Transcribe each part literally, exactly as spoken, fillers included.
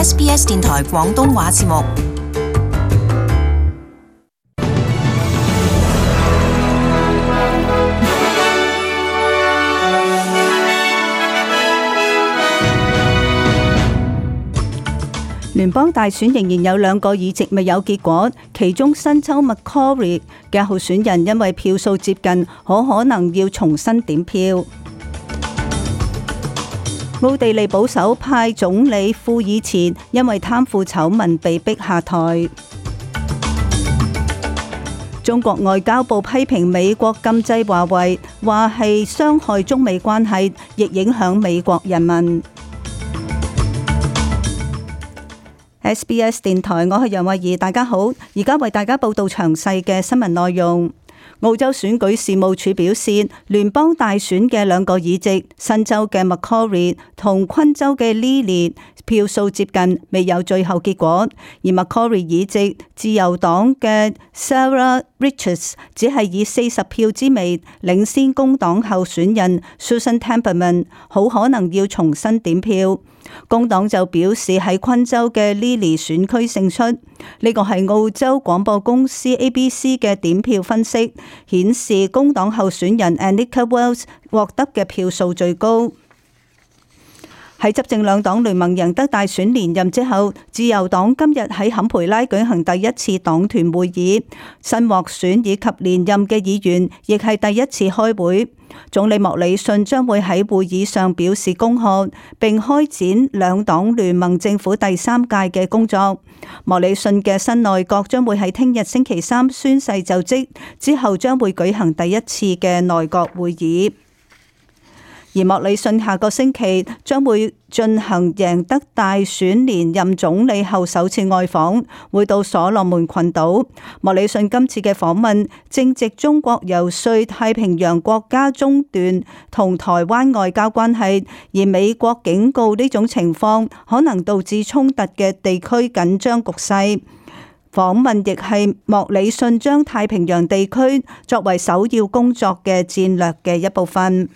S B S 電台廣東話節目。聯邦大選仍然有兩個議席未有結果，其中新州 Macquarie 嘅候選人因為票數接近，可可能要重新點票。奧地利保守派總理庫爾茨因為貪腐醜聞被逼下台。中國外交部批評美國禁制華為，話係傷害中美關係，亦影響美國人民。S B S 電台，我係楊慧儀，大家好，而家為大家報道詳細嘅新聞內容。澳洲選舉事務處表示，聯邦大選嘅兩個議席，新州嘅 Macquarie 同昆州嘅 Lilley 票數接近，未有最後結果。而 Macquarie 議席，自由黨嘅 Sarah Richards 只係以四十票之微領先工黨候選人 Susan Temperman， 好可能要重新點票。工黨就表示喺昆州嘅 Lilley 選區勝出，呢個係澳洲廣播公司 A B C 嘅點票分析，顯示工黨候選人 Anika Wells 獲得嘅票數最高。喺執政兩黨聯盟贏得大選連任之後，自由黨今日喺坎培拉舉行第一次黨團會議，新獲選以及連任嘅議員亦係第一次開會。總理莫里遜將會喺會議上表示恭賀，並開展兩黨聯盟政府第三屆嘅工作。莫里遜嘅新內閣將會喺聽日星期三宣誓就職，之後將會舉行第一次嘅內閣會議。而莫里遜下個星期將會進行贏得大選連任總理後首次外訪，會到所羅門群島。莫里遜今次嘅訪問正值中國游說太平洋國家中斷同台灣外交關係，而美國警告呢種情況可能導致衝突嘅地區緊張局勢。訪問亦係莫里遜將太平洋地區作為首要工作嘅戰略嘅一部分。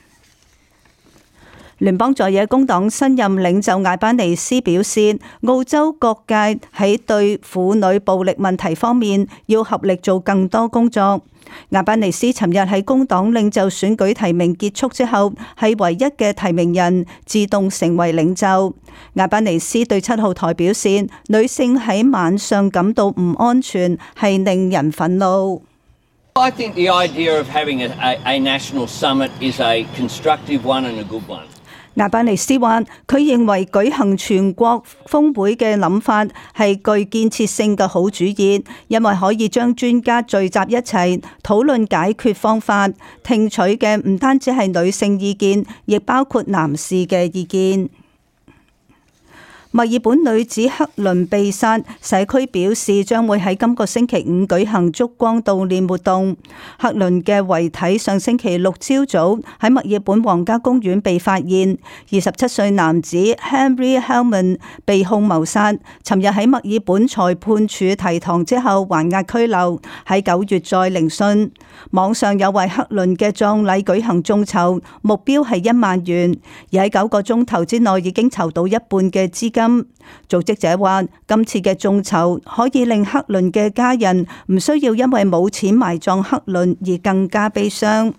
聯邦在野工黨新任領袖艾班尼斯表示，澳洲各界喺對婦女暴力問題方面要合力做更多工作。艾班尼斯尋日喺工黨領袖選舉提名結束之後，係唯一嘅提名人，自動成為領袖。艾班尼斯對七號台表示，女性喺晚上感到唔安全，係令人憤怒。I think the idea of having a, a, a national summit is a constructive one and a good one. 艾班尼斯話：佢認為舉行全國峰會嘅諗法係具建設性嘅好主意，因為可以將專家聚集一齊討論解決方法，聽取嘅唔單止係女性意見，亦包括男士嘅意見。墨爾本女子克倫被殺，社區表示將會喺今個星期五舉行燭光悼念活動。克倫嘅遺體上星期六朝早喺墨爾本皇家公園被發現。二十七歲男子 Henry Hellman 被控謀殺，尋日喺墨爾本裁判處提堂之後還押拘留，喺九月再聆訊。網上有為克倫嘅葬禮舉行眾籌，目標係一萬元，而喺九個鐘頭之內已經籌到一半嘅資金。組織者話，今次嘅眾籌可以令克倫嘅家人唔需要因為冇錢埋葬克倫而更加悲傷。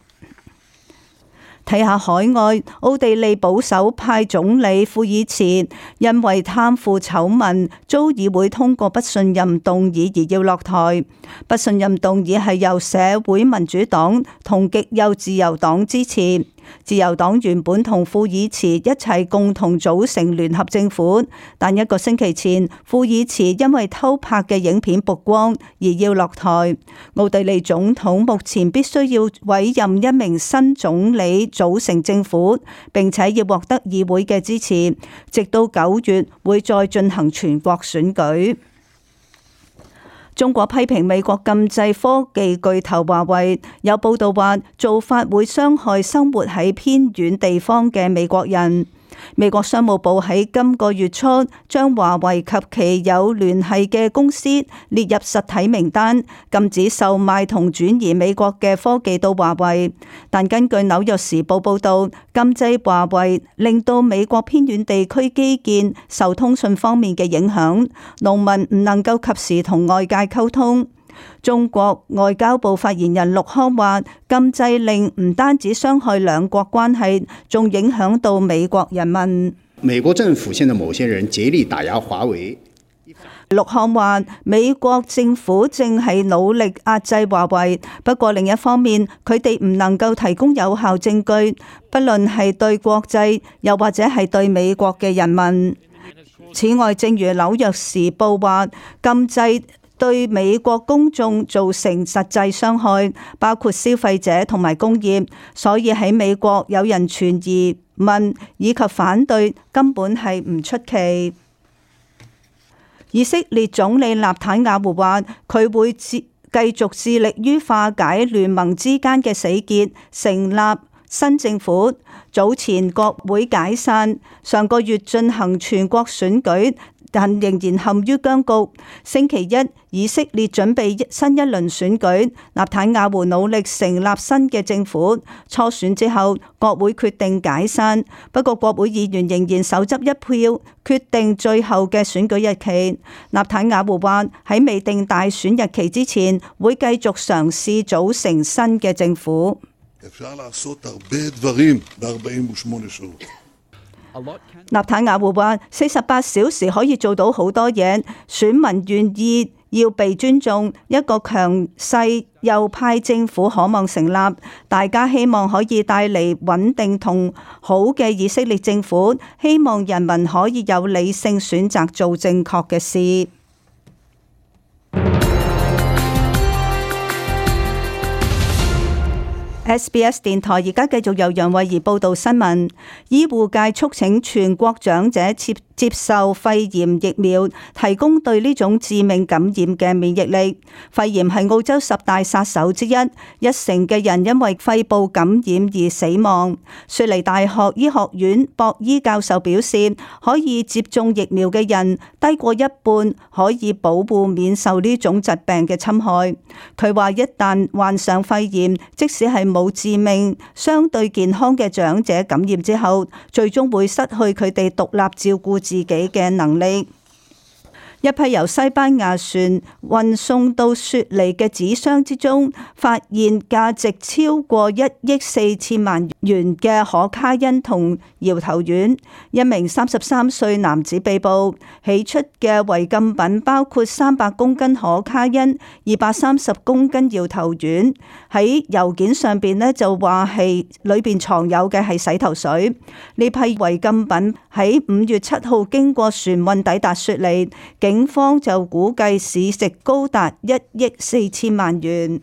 睇下海外，奧地利保守派總理庫爾茨因為貪腐醜聞遭議會通過不信任動議而要落台。不信任動議係由社會民主黨同極右自由黨支持。自由黨原本同庫爾茨一齊共同組成聯合政府，但一個星期前，庫爾茨因為偷拍嘅影片曝光而要落台。奧地利總統目前必須要委任一名新總理組成政府，並且要獲得議會嘅支持，直到九月會再進行全國選舉。中國批評美國禁制科技巨頭華為，有報道話做法會傷害生活喺偏遠地方嘅美國人。美國商務部喺今個月初將華為及其有聯繫嘅公司列入實體名單，禁止售賣同轉移美國嘅科技到華為。但根據紐約時報報道，禁制華為令到美國偏遠地區基建受通訊方面嘅影響，農民唔能夠及時同外界溝通。中國外交部發言人陸康話，禁制令唔單止傷害兩國關係，仲影響到美國人民。美國政府現在某些人竭力打壓華為。陸康話，美國政府正係努力壓制華為，不過另一方面，佢哋唔能夠提供有效證據，不論係對國際又或者係對美國嘅人民。此外，正如紐約時報話，禁制對美國公眾造成實際傷害，包括消費者同埋工業，所以喺美國有人存疑、問以及反對，根本係唔出奇。以色列總理納坦雅胡話，佢會繼續致力於化解聯盟之間嘅死結，成立新政府。早前國會解散，上個月進行全國選舉，但仍然陷於僵局。星期一，以色列準備新一輪選舉，納坦雅胡努力成立新嘅政府。初選之後，國會決定解散，不過國會議員仍然手執一票，決定最後嘅選舉日期。納坦雅胡話喺未定大選日期之前，會繼續嘗試組成新嘅政府。納坦雅胡話：四十八小時可以做到好多嘢，選民願意要被尊重，一個強勢右派政府可望成立，大家希望可以帶嚟穩定同好嘅以色列政府，希望人民可以有理性選擇做正確嘅事。S B S 電台而家繼續由楊慧儀報道新聞。醫護界促請全國長者接接受肺炎疫苗，提供對呢種致命感染嘅免疫力。肺炎係澳洲十大殺手之一，一成嘅人因為肺部感染而死亡。雪梨大學醫學院博伊教授表示，可以接種疫苗嘅人低過一半可以保護免受呢種疾病嘅侵害。佢話一旦患上肺炎，即使係冇致命、相對健康嘅長者感染之後，最終會失去佢哋獨立照顧自己嘅能力。一批由西班牙船運送到雪梨嘅紙箱之中，發現價值超過一億四千萬元嘅可卡因同搖頭丸。一名三十三歲男子被捕，起出嘅違禁品包括三百公斤可卡因、二百三十公斤搖頭丸。喺郵件上邊呢就話係裏邊藏有嘅係洗頭水。呢批違禁品喺五月七號經過船運抵達雪梨。警方就估計市值高達一億四千萬元。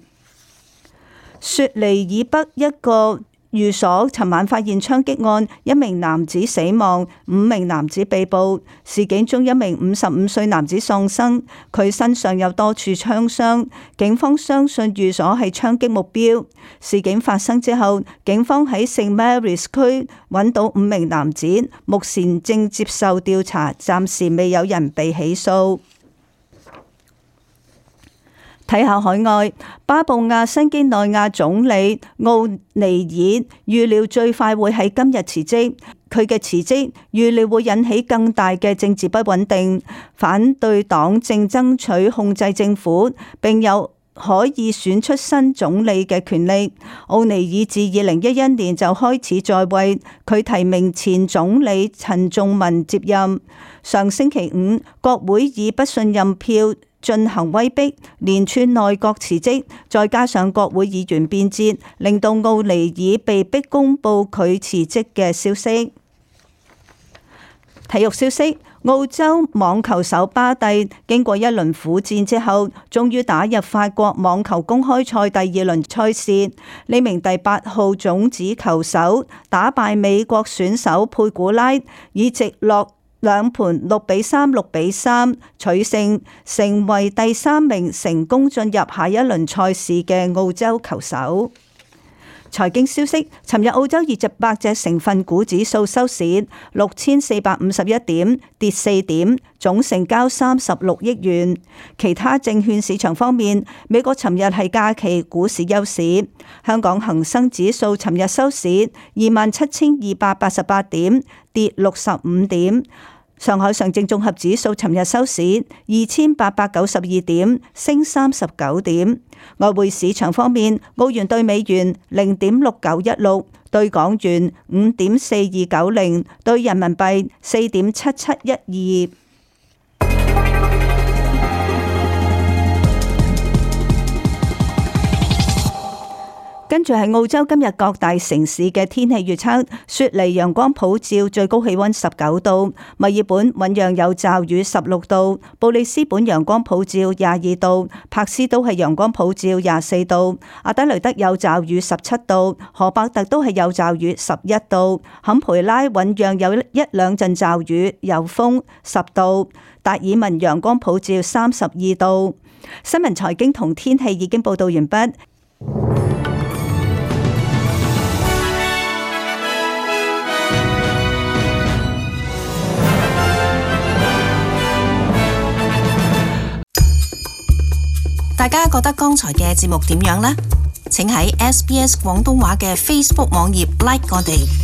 雪梨以北一個寓所尋晚發現槍擊案，一名男子死亡，五名男子被捕。事件中一名五十五歲男子喪生，佢身上有多處槍傷。警方相信寓所係槍擊目標。事件發生之後，警方喺聖 Mary's 區揾到五名男子，目前正接受調查，暫時未有人被起訴。睇下海外，巴布亞新幾內亞總理奧尼爾預料最快會喺今日辭職。佢嘅辭職預料會引起更大嘅政治不穩定。反對黨正爭取控制政府，並有可以選出新總理嘅權力。奧尼爾自二零一一年就開始在位，佢提名前總理陳仲文接任。上星期五，國會以不信任票進行威逼，連串內閣辭職，再加上國會議員變節，令到奧尼爾被逼公布佢辭職嘅消息。體育消息，澳洲網球手巴蒂經過一輪苦戰之後，終於打入法國網球公開賽第二輪賽事。呢名第八號種子球手打敗美國選手佩古拉，以直落兩盤六比三、六比三取勝，成為第三名成功進入下一輪賽事嘅澳洲球手。財經消息，尋日澳洲二十八隻成分股指數收市六千四百五十一點，跌四點，總成交三十六億元。其他證券市場方面，美國尋日係假期股市休市，香港恒生指數尋日收市二萬七千二百八十八點，跌六十五點。上海上證綜合指數尋日收市二千八百九十二點，升三十九點。外匯市場方面，澳元兌美元零點六九一六，兌港元五點四二九零，兌人民幣四點七七一二。跟住係澳洲今日各大城市嘅天氣預測：雪梨陽光普照，最高氣溫十九度；墨爾本醞釀有驟雨，十六度；布里斯本陽光普照，廿二度；柏斯都係陽光普照，廿四度；阿德雷德有驟雨，十七度；荷伯特都係有驟雨，十一度；坎培拉醞釀有一兩陣驟雨，有風，十度；達爾文陽光普照，三十二度。新聞財經同天氣已經報道完畢。大家覺得剛才嘅節目點樣呢？請喺 S B S 廣東話嘅 Facebook 網頁 like 我哋。